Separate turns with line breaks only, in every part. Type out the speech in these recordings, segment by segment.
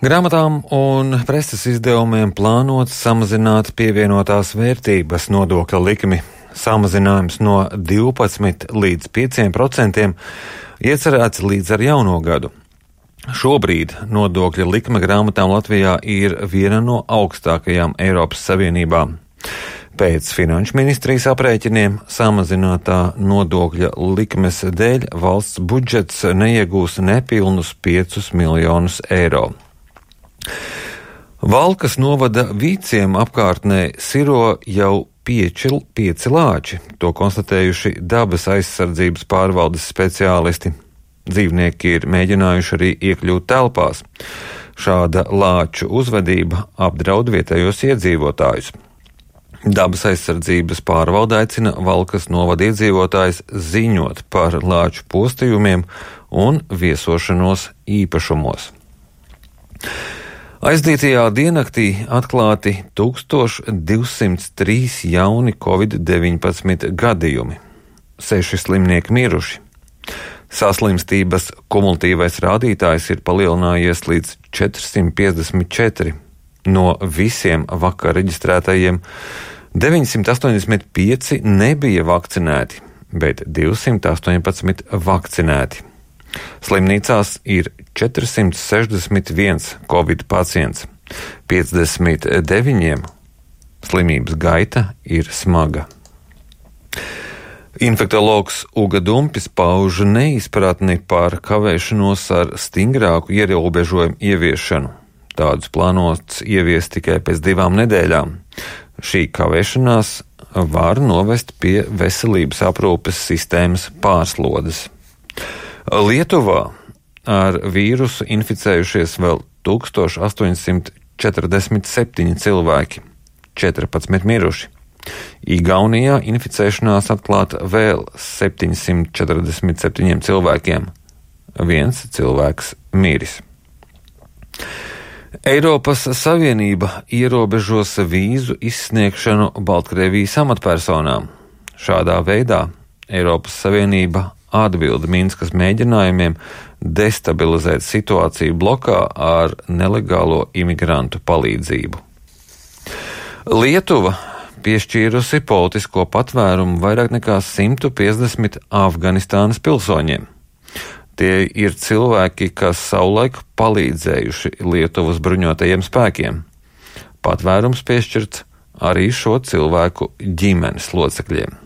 Grāmatām un preses izdevumiem plānots samazināt pievienotās vērtības nodokļa likmi. Samazinājums no 12 līdz 5% iecerēts līdz ar jauno gadu. Šobrīd nodokļa likme grāmatām Latvijā ir viena no augstākajām Eiropas Savienībā. Pēc Finanšu ministrijas aprēķiniem samazinātā nodokļa likmes dēļ valsts budžets neiegūs nepilnus 5 miljonus eiro. Valkas novada Vīciem apkārtnē siro jau 5 lāči, to konstatējuši dabas aizsardzības pārvaldes speciālisti. Dzīvnieki ir mēģinājuši arī iekļūt telpās. Šāda lāču uzvedība apdraud vietējos iedzīvotājus. Dabas aizsardzības pārvalde aicina Valkas novada iedzīvotājus ziņot par lāču postījumiem un viesošanos īpašumos. Aizdītajā diennaktī atklāti 1203 jauni Covid-19 gadījumi. 6 slimnieki miruši. Saslimstības kumulatīvais rādītājs ir palielinājies līdz 454. No visiem vakar reģistrētajiem 985 nebija vakcinēti, bet 218 vakcinēti. Slimnīcās ir 461 Covid pacients, 59 slimības gaita ir smaga. Infektologs Uga Dumpis pauž neizpratni par kavēšanos ar stingrāku ierobežojumu ieviešanu. Tādus plānots ieviest tikai pēc 2 nedēļām. Šī kavēšanās var novest pie veselības aprūpes sistēmas pārslodes. Lietuvā ar vīrusu inficējušies vēl 1847 cilvēki, 14 miruši. Igaunijā inficēšanās atklāta vēl 747 cilvēkiem, 1 cilvēks miris. Eiropas Savienība ierobežos vīzu izsniegšanu Baltkrievijas amatpersonām. Šādā veidā Eiropas Savienība atbilda Minskas mēģinājumiem destabilizēt situāciju blokā ar nelegālo imigrantu palīdzību. Lietuva piešķīrusi politisko patvērumu vairāk nekā 150 Afganistānas pilsoņiem. Tie ir cilvēki, kas savulaik palīdzējuši Lietuvas bruņotajiem spēkiem. Patvērums piešķirts arī šo cilvēku ģimenes locekļiem.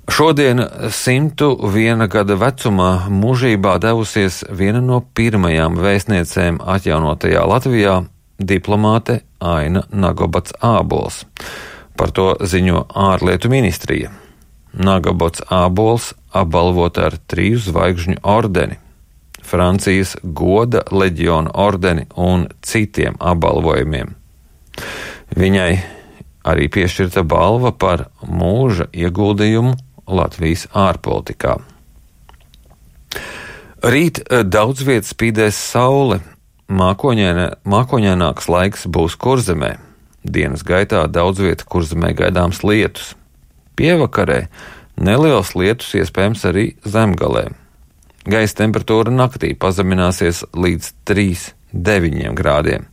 Šodien 101 gada vecumā mūžībā devusies viena no pirmajām vēstniecēm atjaunotajā Latvijā - diplomāte Aina Nagobats Ābols. Par to ziņo ārlietu ministrija. Nagobats Ābols apbalvota ar 3 zvaigžņu ordeni, Francijas goda leģiona ordeni un citiem apbalvojumiem. Viņai arī piešķirta balva par mūža ieguldījumu Latvijas ārpolitikā. Rīt daudz viet spīdēs saule, mākoņaināks laiks būs Kurzemē. Dienas gaitā daudz viet Kurzemē gaidāms lietus. Pievakarē neliels lietus iespējams arī Zemgalē. Gaisa temperatūra naktī pazemināsies līdz 3,9 grādiem.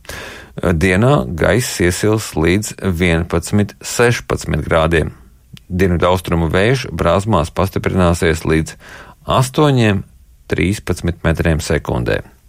Dienā gaiss iesils līdz 11,16 grādiem. Dienvidaustrumu vējš Brāzmās pastiprināsies līdz 8,13 metriem sekundē.